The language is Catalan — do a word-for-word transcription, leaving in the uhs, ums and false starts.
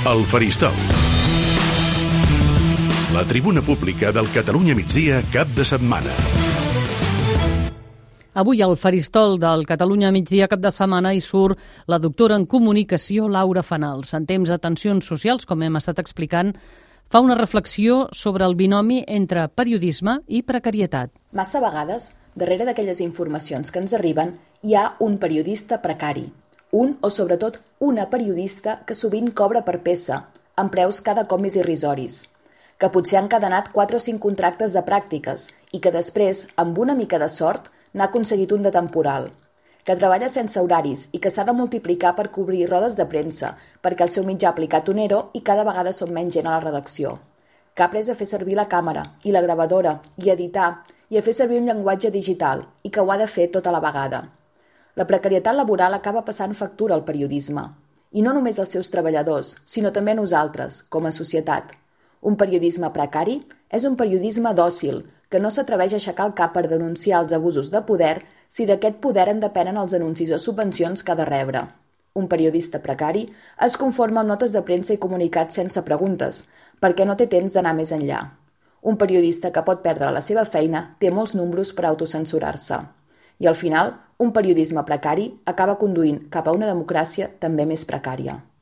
El Faristol. La tribuna pública del Catalunya Migdia cap de setmana. Avui al Faristol del Catalunya Migdia cap de setmana hi surt la doctora en comunicació Laura Fanals. En temps de tensions socials, com hem estat explicant, fa una reflexió sobre el binomi entre periodisme i precarietat. Massa vegades, darrere d'aquelles informacions que ens arriben, hi ha un periodista precari. Un o sobretot una periodista que sovint cobra per peça, amb preus cada cop més irrisoris, que potser ha encadenat quatre o cinc contractes de pràctiques i que després, amb una mica de sort, n'ha aconseguit un de temporal, que treballa sense horaris i que s'ha de multiplicar per cobrir rodes de premsa perquè el seu mitjà ha aplicat un ero i cada vegada som menys gent a la redacció, que ha après a fer servir la càmera i la gravadora i a editar i a fer servir un llenguatge digital i que ho ha de fer tota la vegada. La precarietat laboral acaba passant factura al periodisme, i no només als seus treballadors, sinó també a nosaltres, com a societat. Un periodisme precari és un periodisme dòcil, que no s'atreveix a aixecar el cap per denunciar els abusos de poder si d'aquest poder en depenen els anuncis o subvencions que ha de rebre. Un periodista precari es conforma amb notes de premsa i comunicats sense preguntes, perquè no té temps d'anar més enllà. Un periodista que pot perdre la seva feina té molts números per autocensurar-se. I al final, un periodisme precari acaba conduint cap a una democràcia també més precària.